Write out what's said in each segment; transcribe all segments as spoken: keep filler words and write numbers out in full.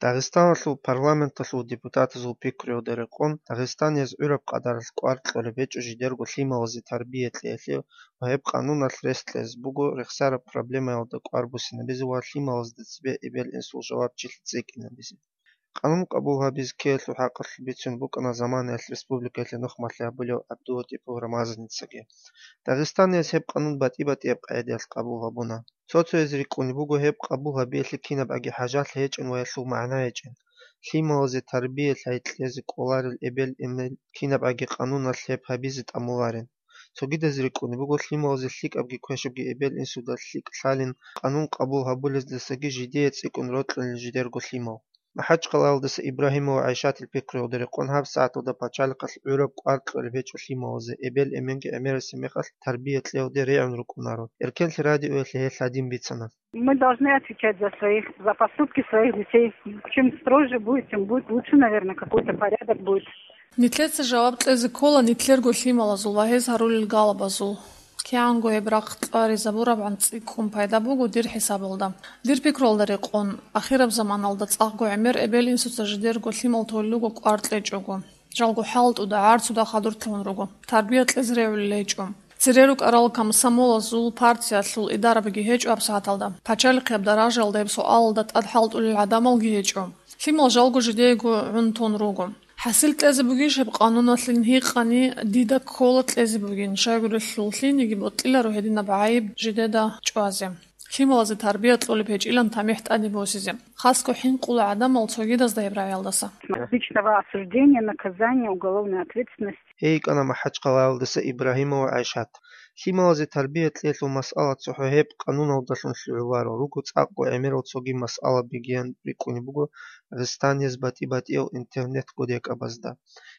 Дагъистаналъул парламенталъул депутатазул пикруялда рекъон, дагъистанияз гӀураб къадаралъ кӀвар кьолеб гьечӀо жидерго лъималазе тарбия кьеялъе ва гьеб къануналъ рес кьезе буго рехсараб проблемаялда кӀвар буссинабизе ва лъималазда цебе эбел-инсул жавабчилъи цӀикӀкӀинабизе. Къанун къабул гьабизе ккеялъул хӀакъалъулъ бицун букӀана заманаялъ республикаялъе нухмалъи гьабулев ГӀабдулатӀипов Рамазаницаги. Дагъистанияз гьеб къанун батӀи-батӀияб къагӀидаялъ къабул гьабуна. Цо-цояз рикӀкӀунеб буго гьеб къабул гьабиялъе кинаб аги хӀажалъи гьечӀин ва гьелъул магӀна гьечӀин. Лъималазе тарбия лъай кьезе кӀоларел эбел-эмен кинаб аги къануналъ гьеб гьабизе тӀамуларин. Цогидаз рикӀкӀунеб буго лъималазе лъикӀабги квешабги эбел-инсуда лъикӀ лъалин, къанун къабул гьабулездасаги жидее цӀикӀкӀун рокьулин жидерго лъимал. МахӀачхъалаялдаса Ибрагьимова ГӀайшатил пикруялда рекъон гьаб сагӀаталда пачалихъалъ гӀураб кӀвар кьолеб гьечӀо лъималазе, эбел-эменги гӀемерасеб мехалъ тарбия кьеялде регӀун рукӀунаро. Эркенлъи радиоялъе гьел гьадин бицана. Мы должны отвечать за своих, за поступки своих детей. Чем строже будет, тем будет лучше, наверное, какой-то порядок будет. Нилъеца жаваб кьезе ккола нилъерго лъималазул ва гьез гьарулел галабазул. КигӀанго гьеб рахъ кьаризабурабгӀан цӀикӀкӀун пайда буго дир хӀисабалда. Дир пикруялда рекъон, ахираб заманалда цӀакъго гӀемер эбел-инсуца жидерго лъимал толел руго кӀвар кьечӀого. Жалго хӀалтӀуда, гӀарцуда хадур лъун руго. Тарбия кьезе регӀулел гьечӀо. Цере рукӀарал комсомолазул партиялъул идарабиги гьечӀо гьабсагӀаталда. Пачалихъияб даражаялда гьеб суалалда тӀад хӀалтӀулел гӀадамалги гьечӀо. Лъимал жалго жидеего гӀун тун руго. ХӀасил кьезе бугищ гьеб къануналъин гьикъани, дида ккола кьезе бугин, щайгурелъул лъиениги бокьиларо гьединаб гӀайиб жидеда чӀвазе. Лъималазе тарбия кьолеб гьечӀилан тамихӀ тӀаде босизе. Хасго хӀинкъула гӀадамал цогидазда гьеб рагӀиялдаса. Личного осуждения, наказания, уголовной ответственности. Гьей йикӀана МахӀачхъалаялдаса Ибрагьимова ГӀайшат. Лъималазе тарбия кьеялъул масъала цохӀо гьеб къануналдалъун лъугӀуларо, руго цӀакъго гӀемерал цоги масъалабигиян рикӀкӀунеб буго Дагъистанияз батӀи-батӀиял интернет-кодекабазда.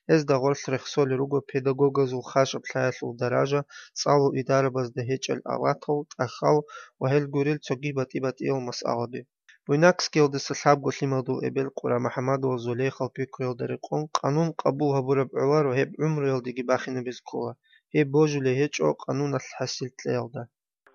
Гьезда гъорлъ рехсолел руго педагогазул хашаб лъаялъул даража, цӀалул идарабазда гьечӀел аватал, тӀахьал ва гьел гурел цоги батӀи-батӀиял масъалаби. Буйнакскиялдаса лъабго лъималдул эбел Къура МухӀаммадова Зулейхал пикруялда рекъон, къанун къабул гьабураб гӀоларо гьеб гӀумруялдеги бахинабизе ккола, гьеб божулей гьечӀо къануналъ хӀасил кьеялда.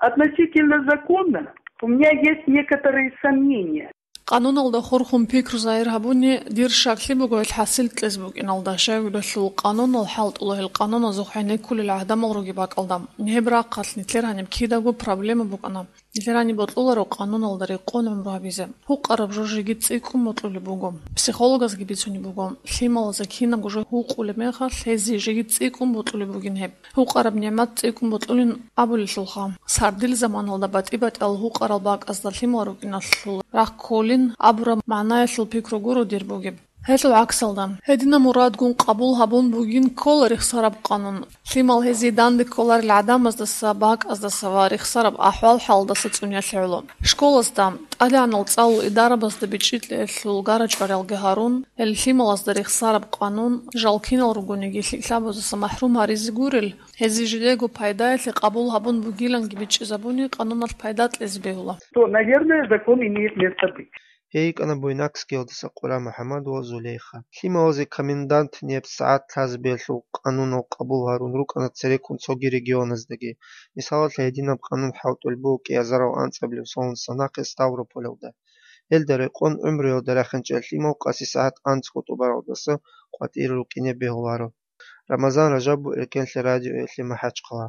Относительно закона у меня есть некоторые сомнения. Къануналда хурхун пикру загьир гьабуни, дир щаклъи буго гьел хӀасил кьезе букӀиналда, щайгурелъул къанунал хӀалтӀула гьел къануназухъ гӀенеккулел гӀадамал ругеб бакӀалда. Гьеб рахъалъ нилъер гьаниб кидаго проблема букӀана. Нилъер гьаниб бокьуларо къануналда рекъон гӀумру гьабизе. Гьукъараб жо жеги цӀикӀкӀун бокьулеб буго. Психологазги бицунеб буго, лъималазе кинабго жо гьукъулеб мехалъ, гьезие жеги цӀикӀкӀун бокьулеб бугин гьеб. Гьукъараб нигӀмат цӀикӀкӀун бокьулин абулелъулха. Сардил заманалда батӀи-батӀиял гьукъарал бакӀазда лъимал рукӀиналъул рахъ кколин абураб магӀнаялъул пикру гуро дир бугеб. Гьелъул гӀаксалда, гьединаб мурадгун къабул гьабун бугин ккола рехсараб къанун. Лъимал гьезие данде кколарел гӀадамаздаса, бакӀаздаса ва рехсараб ахӀвал-хӀалдаса цӀуниялъе гӀоло. Школазда, тӀадегӀанал цӀалул идарабазда бичӀчӀи кьеялъул гара-чӀвариялги гьарун, гьел лъималазда рехсараб къанун, жал кинал ругониги, лъикӀлъабазаса махӀрум гьаризе гурел, гьезие жидего пайдаялъе къабул гьабун бугиланги бичӀчӀизабуни, къануналъ пайда кьезе бегьула. То, наверное, закон имеет место быть. Гьей йикӀана Буйнакскиялдаса Къура МухӀаммадова Зулейха. Лъималазе комендантнияб сагӀат лъазабиялъул къанунал къабул гьарун рукӀана цереккун цоги регионаздаги. Мисалалъе, гьединаб къанун хӀалтӀулеб буго кӀиазарал анцӀабилеб соналдаса нахъе Ставрополалда. Гьелда рекъон гӀумруялда рахинчӀел лъимал къаси сагӀат анцӀго тӀубаралдаса къватӀире рукӀине бегьуларо. Рамазан Ражабов, Эркенлъи радиоялъе, МахӀачхъала.